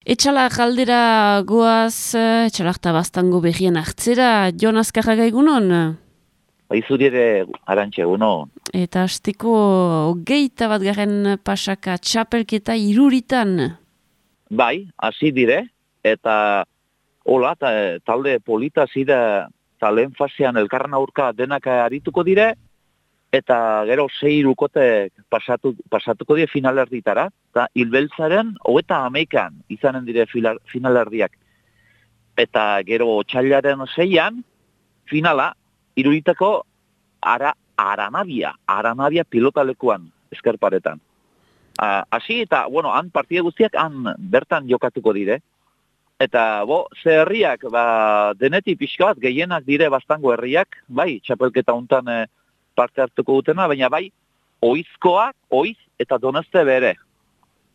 Etxalak aldera goaz, etxalak tabaztango berrien hartzera, Jon Azkarraga egunon? Baizuri ere Arantxe, egunon. Eta hasteko 21. pasaka txapelketa Iruritan. Bai, hasi dire, eta hola, talde polita zira, eta lehen fasean elkarren aurka denak arituko dire, eta gero 6 irukote pasatuko dire finalerditara, eta Hilbeltzaren 31 izanen dire finalerdiak. Eta gero otsailaren 6an, finala, Iruritako Aranabia pilotalekuan eskerparetan. Hasi eta, bueno, han partide guztiak han bertan jokatuko dire. Eta, ze herriak, denetik pixka bat, gehienak dire bastango herriak, bai, txapelketa hontan parte hartuko dutena, baina bai, oiz eta Donosti bere.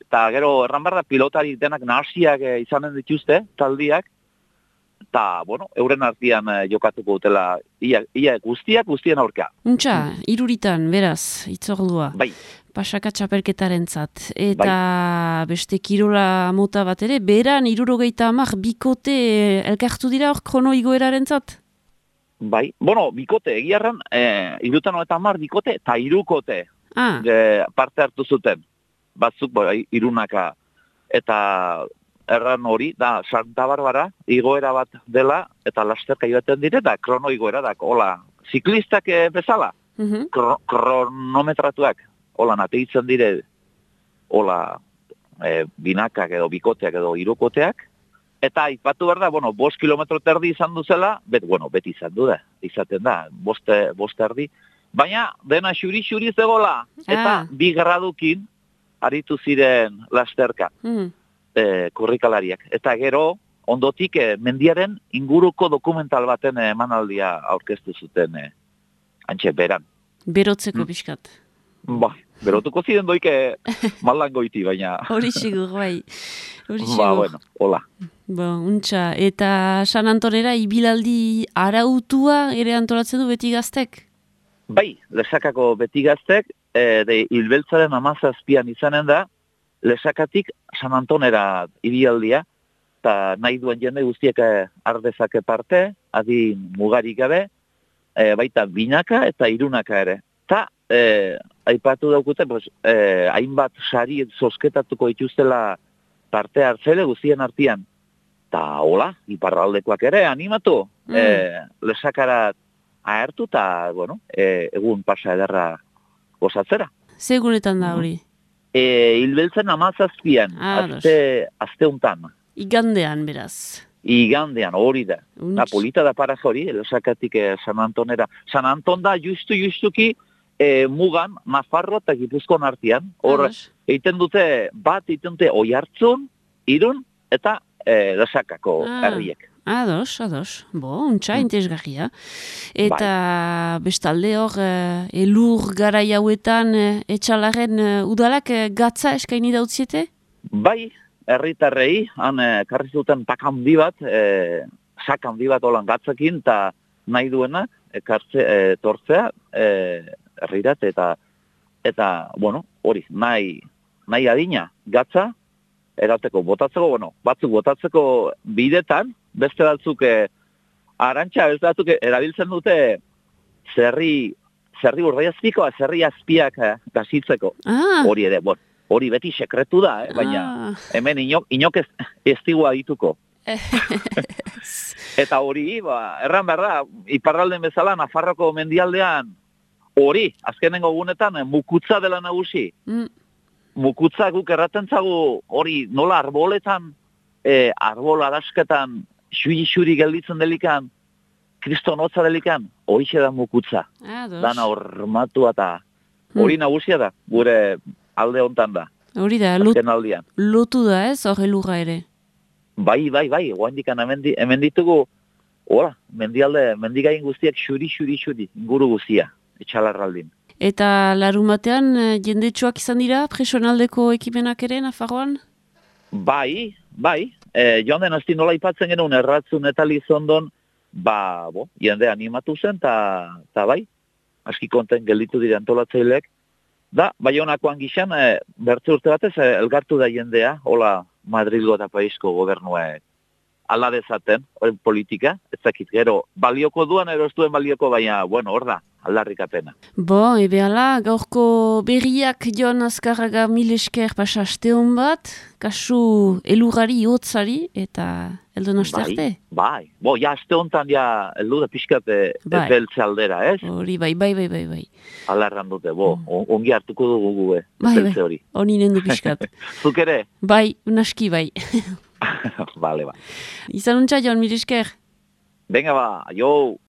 Eta gero, erran behar da, pilotari denak nahasiak izanen dituzte, taldiak, eta, bueno, euren artean jokatuko dutela, ia guztien aurka. Untxa, Iruritan, beraz, itzordua. Bai. Pasaka txapelketaren zat. Eta beste kirola mota bat ere, beran 70 bikote elkartu dira hor krono igoeraren zat? Bai, bueno, bikote, egiarran, 70 bikote eta 3 kote parte hartu zuten. Batzuk, irunaka, eta erran hori, da, Santa Barbara, igoera bat dela, eta lasterka joaten dire, da, krono igoera, da, hola, ziklistak bezala, kronometratuak, hola, nateitzen dire, hola, binakak edo bikoteak edo irukoteak, eta ipatu behar da, 5 kilometro terdi izan duzela, beti izan du da, izaten da, 5 erdi, baina dena xuri-xuri zegoela, eta 2 gradukin aritu ziren lasterka. Korrikalariak. Eta gero, ondotik, mendiaren inguruko dokumental baten emanaldia aurkeztu zuten antxe beran. Berotzeko pixkat. Berotuko ziren doike maldan goiti, baina... Hori sigur, bai. Bueno, hola. Untxa, eta San Antonera ibilaldi arautua ere antolatzen du beti gaztek? Bai, Lesakako beti gaztek, Hilbeltzaren 17an izanen da, Lesakatik San Antonera ibialdia, eta nahi duen jende guztiek ardezake parte, adin mugarik gabe, baita binaka eta irunaka ere. Eta, aipatu daukute, hainbat sari zozketatuko ituztela parte hartzele guztien artean. Eta, hola, iparraldekoak ere, animatu, Lesakarat ahertu, eta, egun pasa ederra gozatzera. Segunetan da hori? Hilbeltzen 17an, azte untan. Igandean, beraz. Igandean, hori da. Polita da para hori, Lesakatik San Antonera. San Anton da justuki mugan, Nafarro eta Gipuzkoan artean. Hor, egiten dute Oiartzun, Irun eta Lesakako herriek. Ados. Untxa, interesgarria. Eta bestalde hor, elur garai hauetan etxalaren udalak gatza eskaini dautziete? Bai, herritarrei, han karri zuten pak handi bat, sak handi bat holan gatzakin, eta nahi duena, tortzea, herrirat, eta, hori, nahi adina, gatza, erateko, botatzeko, batzuk botatzeko bidetan, beste batzuk, Arantxa, beste batzuk erabiltzen dute zerri urdaiazpikoa, zerri azpiak gazitzeko. Hori ere, hori beti sekretu da, baina hemen inok ez digua dituko. Eta hori, erran behar da, iparralden bezala, Nafarroko mendialdean, hori, azkenengo gunetan, mukutza dela nagusi. Mukutza guk erraten zagu, hori nola arboletan, arbol adasketan, xuri gelditzen delikan, kriston hotza delikan, hori da mukutza. Dana hormatua eta hori nagusia da, gure alde hontan da. Hori da, lotu da ez, hori lurra ere? Bai, guaindikan hemen ditugu, mendigain guztiak xuri, inguru guztia, etxalarraldin. Eta larumatean jendetsuak izan dira, presionaldeko ekimenak ere, Nafarroan? Bai, joan den azti nola ipatzen genuen erratzun eta Lizondon, jende animatu zen, eta bai, aski konten gelditu dira antolatzaileek. Da, Baionakoan gixan, bertze urte batez, elgartu da jendea, hola, Madrilgo eta Parisko gobernuek ala dezaten, horren politika, ez dakit, gero, balioko duan, ero ez duen balioko, baina, bueno, hor da, aldarrikapena. Bo, ebeala, gaurko berriak Jon Azkarraga mil esker pasa aste hon bat, kasu elurrari, hotzari, eta eldon aste arte? Bai, bo, ja, aste hontan, ja, eldu da pixkat beltze aldera, ez? Hori, bai. Ala erran dute, bo, ongi hartuko dugu gu, beltze hori. Honi nendu pixkat. Zuk ere? Bai, naski bai. Vale, ba. Izan untxa, Jon, mil esker. Venga ba, jo!